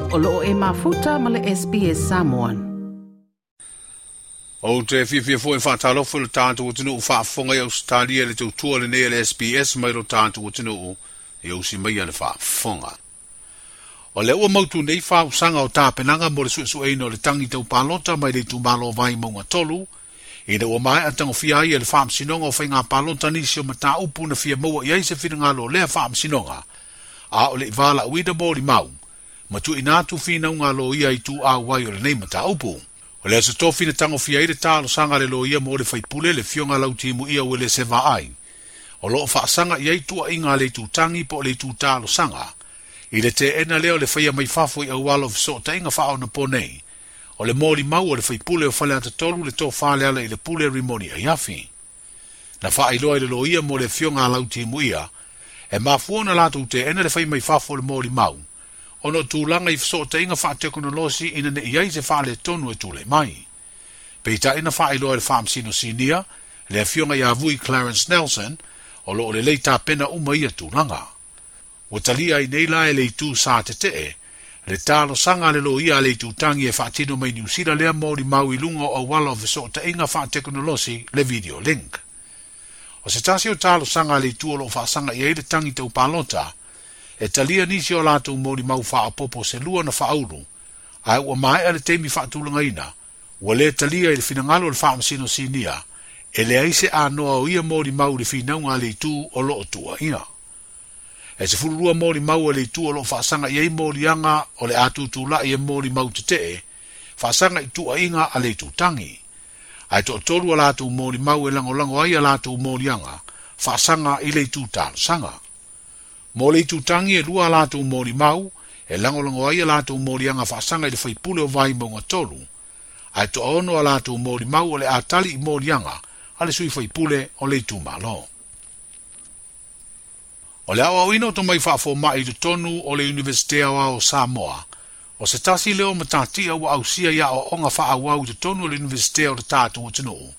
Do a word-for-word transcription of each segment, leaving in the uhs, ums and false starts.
O loo e mafuta ma le S B S Samoan. O te fiafia foi whaatalofo le tātou atunuu faafofoga i Ausetalia le tautua lenei a le S B S mai lo tātou atunuu e usi mai le faafofoga. O le ua mautu nei whausanga o tāpenaga mo le suesueina o le tangi tau palota mai le itumalo Vaimauga tolu, ina ua maea tagofia ai e le faamasinoga o faiga palota nisi o mataupu na fia maua i ai se finagalo o lea faamasinoga, a o le i valauina molimau, ma tuuina atu finauga loia i tuau ai o lenei mataupu. O le aso tofi na tagofia ai le talosaga le loia mo le faipule le fioga lautimuia ua le se vaai. O loo faasaga i ai tuuaiga a le itutangi po o le itu talosaga. I le teena lea o le faia mai fafo i auala o fesootaiga faaonapo nei. O le molimau o le faipule o Faleata tolu le tofa le ala i le pule Rimoni Aiafi. Na faailoa i le loia mo le fioga a lautimuia, e mafua ona latou teena le fai mai fafo o le molimau, ona o tulaga i fesootaiga faatekonolosi ina ne i ai se faaletonu e tulai mai. Peitai na faailoa i le faamasino sinia, le afioga ia Vui Clarence Nelson, o loo lelei tapena uma ia tulaga. Ua talia ai nei la e le itu sa tetee, le talosaga a le loia a le itutangi e faatino mai Niu Sila lea molimau i luga o auala o fesootaiga faatekonolosi le video link. O se tasi o talosaga a le itu o loo faasaga i ai le tangi tau palota, e talia nisi o latou molimau faaopopo se lua na faaulu, ae ua maea le taimi faatulagaina, ua lē talia i le finagalo o le faamasino sinia, e leai se anoa o ia molimau i le finauga a le itu o loo tuuaia. E sefululua molimau a le itu o loo faasaga i ai moliaga o le atutulai e molimau tetee, faasaga i tuuaiga a le itutangi. Ae toatolu a latou molimau e lagolago ai a latou moliaga, faasaga i le itu talosaga. Mo le itutangi e lua a latou molimau, e lagolago ai a latou moliaga faasaga i le faipule o Vaimauga tolu, ae toaono a latou molimau o le atali i moliaga a le sui faipule o le itumalo. O le aoaoina o tomai faafoma'i i totonu o le Iunivesite Aoao o Samoa, o se tasi lea o matatia ua ausia i aoaoga faaauau i totonu o le Iunivesite o le tatou atunuu,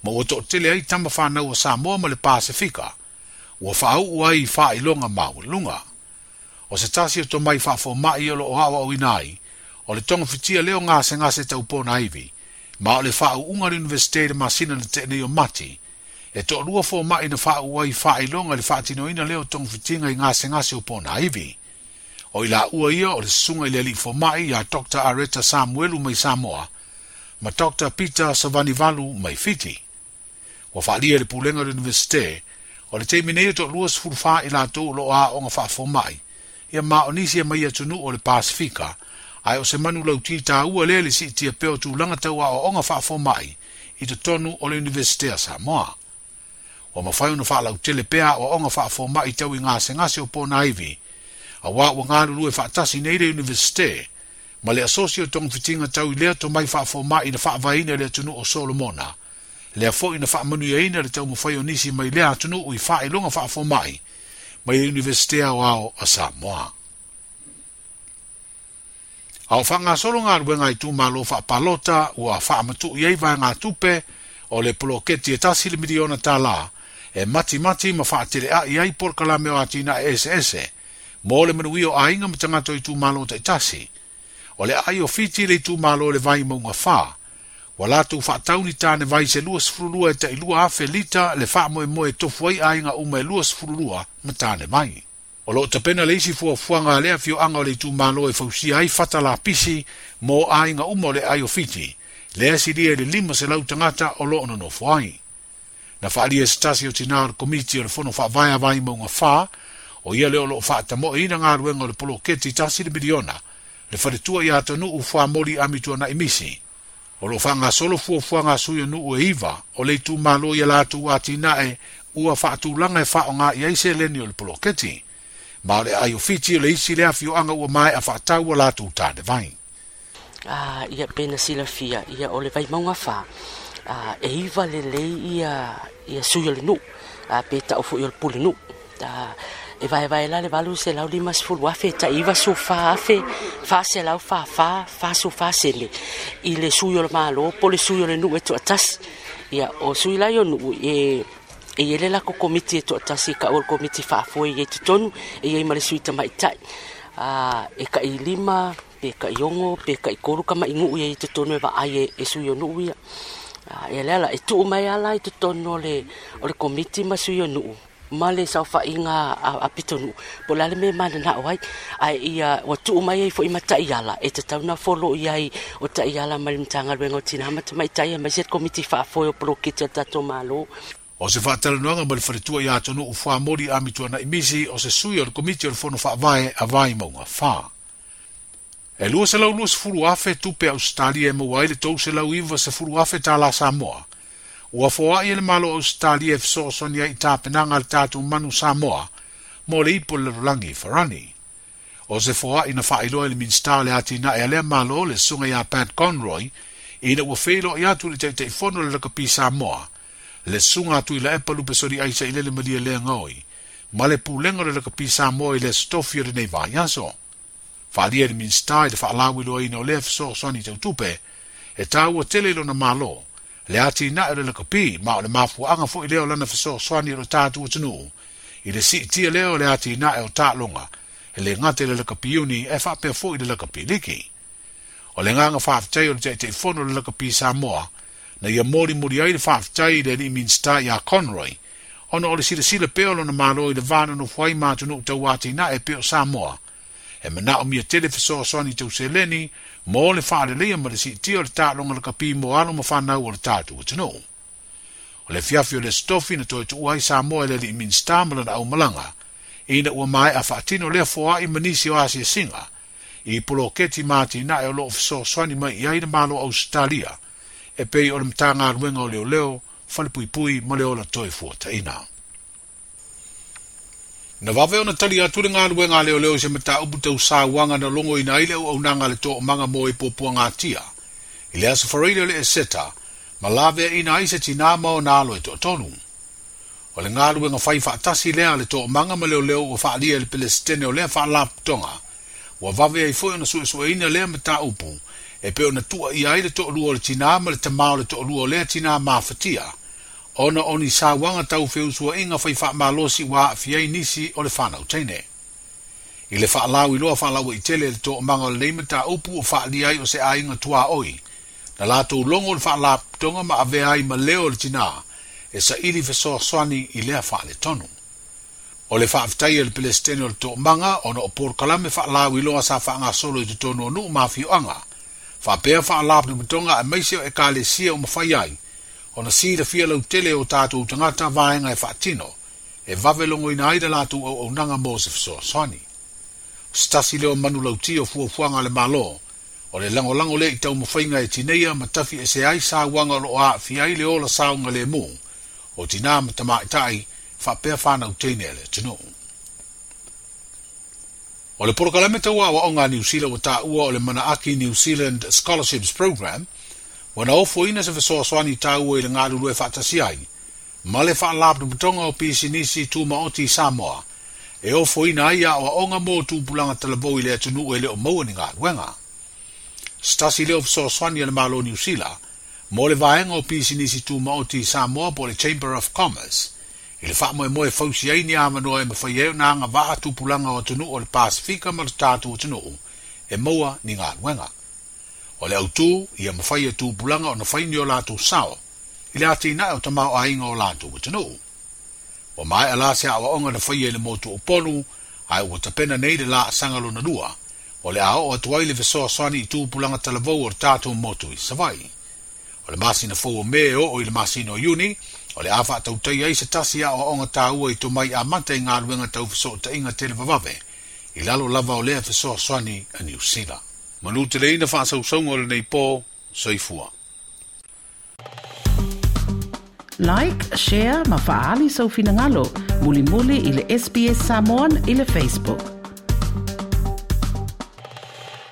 ma ua toatele ai tama fanau a Samoa ma le Pasefika, ua faauu ai i faailoga maualuga. O se tasi o tomai faafoma'i o loo aoaoina ai, o le togafitia lea o gasegase taupona ivi, ma o le faauuga o le Iunivesite i le masina na tea nei o Mati, e toalua foma'i na faauu ai faailoga i le faatinoina lea o togafitiga i gasegase o pona ivi. O i laua ia o le susuga i le alii foma'i ia Doctor Areta Samuelu mai Samoa, ma Doctor Peter Savanivalu mai Fiti. Ua faalia i le pulega o le Iunivesite, o le taimi nei e toalua sefulu fa i latou o loo aoga faafoma'i, ia ma o nisi e mai atunuu o le Pasefika, ae o se manu lauti taua lea le siitia pea o tulaga tau aoaoga faafoma'i i totonu o le Iunivesite a Samoa. Ua mafai ona faalautele pea aoaoga faafoma'i tau i gasegase o pona ivi, auā ua galulue faatasi nei le Iunivesite, ma le asosi o togafitiga tau i lea tomai faafoma'i na faavaeina i le atunuu o Solomona, lea foi na faamanuiaina le taumafai o nisi mai lea atunuu i faailoga faafoma'i mai le Iunivesite Aoao a Samoa. A o faagasolo galuega a itumalo faapalota ua faamatu'i ai vaegatupe o le poloketi e tasi le miliona tālā e matimati ma faatelea'i ai polokalame o atinae eseese mo le manuia o aiga ma tagata o itumalo taitasi. O le aai o Fiti le itumalo le Vaimauga fa, ua latou faatauni tane vai se lua sefululua e tailua afe lita le faamoemoe e tofu ai aiga uma e lua sefululua ma tane vai. O loo tapena le isi fuafuaga a lea afioaga o le itumalo e fausia ai fata lapisi mo aiga uma o le aai o Fiti, lea silia i le lima selau tagata o loo nonofo ai. Na faalia e se tasi o tinā o le komiti o le fono faavae a Vaimauga fa, o ia lea o loo faatamoeina galuega o le poloketi tasi le miliona, le faletua ia atunuu fuamoli amituana'i misi. O loo faagasolo fuafuaga a sui o nuu e iva o le itumalo ia latou atinae ua faatulaga e faaoga i ai seleni o le poloketi. Ma o le aai o Fiti o le isi lea afioaga ua maea faatau a latou tane vai. Ah, ia pena silafia, ia o le Vaimauga fa, ah, e iva lelei ia, ia sui o le nuu, ah, pe tau foi o le pule nuu. Ah, e vaevae la le valu selau lima sefulu afe, tai iva sufa afe, fa selau fa fa, fa sufa sele. I le sui o le malo, po le sui o le nuu e toatasi. Ia, o sui lai o nuu e, e i ele lako komiti e toatasi, ka o le komiti faafoe i e totonu, e iai ma le sui tamaitai. Ah, e kai lima Pe taiogo pe taitolu tamaʻinuʻu ia i totonu e vaai e, e sui o nuʻu ia. Ia lea la e tuu mai ala i totonu o le, o le komiti ma sui o nuʻu ma le saofaʻiga a, a pitonuu po o le a le mea e mananao ai ae ia ua tuu mai ai foʻi ma taʻiala e tatau na folo i ai o taʻiala mai le Matagaluega o Tinā ma Tamaitai aemaise le komiti faafoe o poloketi a le tatou Mālō. O se faatalanoaga ma le faletua iā Tonuʻu Fuamoli Amituanaʻi Misi o se sui o le Komiti o le Fono Faavae a Vaimauga fa. E lua selau luasefulu afe tupe Ausetalia e maua ai le tou selau iva sefulu afe tālā Samoa. Ua foaʻi e le Malo o Ausetalia e fesoasoani ai i tapenaga a le tatou manu Samoa mo le ipu o le lalolagi Farani. O se foaʻi na faailoa e le Minisita o le Atinae a lea Malo le susuga iā Pat Conroy ina ua feiloai atu i le Taitaifono o le Lakapi Samoa le susuga a Tuilaepa Lupesoli Aisa i Lele Malia Lea Gaoi ma le Pulega o le Lakapi Samoa i le Aso Tofi o lenei vaiaso. Faaalia e le Minisita i le faalauiloaina o lea fesoasoani tau tupe e taua tele i lona Malo le atinae o le lakapi ma o le mafuaaga foʻi lea o lana fesoasoani o le tatou atunuu i le siitia lea o le atinae o taaloga e lē gata i le lakapi iuni ae faapea foʻi i le lakapi liki. O le agaga faafetai o le Taitaifono o le Lakapi Samoa na ia molimoli ai le faafetai i le alii Minisita iā Conroy ona o le silasila pea o lona Malo i le va nonofo ai ma atunuu tauatinae pei o Samoa e manaomia tele fesoasoani tau seleni mo le faaleleia ma le siitia o le taaloga lakapi mo alo ma fanau o le tatou atunuu. O le afiafi o le Aso Tofi na toe tuua ai Samoa e le alii Minisita ma lana aumalaga ina ua maeʻa faatino lea foaʻi ma nisi o asiasiga i poloketi ma atinae o loo fesoasoani mai i ai le Malo o Ausetalia e pei o le Matagaluega o Leoleo, Falepuipui ma le Ola Toe Fuataʻina. Na vave ona tali atu le galuega a leoleo i se mataupu tau sauaga na logoina ai le auaunaga a le Toomaga mo e Puapuagatia i le Aso Faraile o le Eseta ma laveaʻina ai se tinā ma ona alo e toatolu. O le galuega fai faatasi lea a le Toomaga ma leoleo ua faaalia e le Pelesitene o lea faalapotopotoga ua vave ai foi ona suesueina lea mataupu e pei ona tuuaia ai le toalua o le tinā ma le tamā o le toalua o lea tinā mafatia ona o ni sauaga tau feusuaiga fai faamalosi ua aafia ai nisi o le fanau teine. I le faalauiloa faalauaitele e le Toomaga o lenei mataupu ua faaalia ai o se aiga tuaoi na latou logo le faalapotopotoga ma avea ai ma leo o le tinā e saili fesoasoani i lea faaletonu. O le faafetai a le Pelesitene o le Toomaga ona o polokalame faalauiloa sa faagasolo i totonu o nuu ma afioaga faapea faalapotopotoga aemaise o ekalesia o mafai ai ona silafia lautele o tatou tagata vaega e faatino e vave logoina ai le latou auaunaga mo se fesoasoani. O se tasi lea o manulauti o fuafuaga a le Malo o le lagolago lea i taumafaiga e tineia ma tafi ese ai sauaga o loo aafia ai le ola saogalemu o tinā ma tamaitai faapea fanau teine a le atunuu. O le polokalame tau aoaoga a Niu Sila ua taua o le Manaaki New Zealand Scholarships Programme ua na ofoina se fesoasoani taua i le galulue faatasi ai ma le Faalapotopotoga o Pisinisi Tumaoti i Samoa e ofoina ai aoaoga mo tupulaga talavou i le atunuu e le o maua ni galuega. Se tasi lea o fesoasoani a le Malo o Niu Sila mo le vaega o pisinisi tumaoti i Samoa po o le Chamber of Commerce i le faamoemoe e fausia ai ni avanoa e mafai ai ona agavaa tupulaga o atunuu o le Pasefika ma le tatou atunuu e maua ni galuega. O le autū ia mafai e tupulaga ona fai ni o latou sao i le atinae o tamaoaiga o latou atunuu. Ua maeʻa la se aoaoga na faia i le motu o Upolu ae ua tapena nei le laasaga lona lua o le a oo atu ai le fesoasoani i tupulaga talavou o le tatou motu i Savaii. O le masina fou o Me e oo i le masina o Iuni o le a faatautaia ai se tasi aoaoga taua i tomai amata i galuega tau fesootaiga televavave i lalo lava o lea fesoasoani a Niu Sila. Manuteleina faasausauga o lenei po, soifua. Like, share ma faaali sou finagalo mulimuli i le S B S Samoan i le Facebook.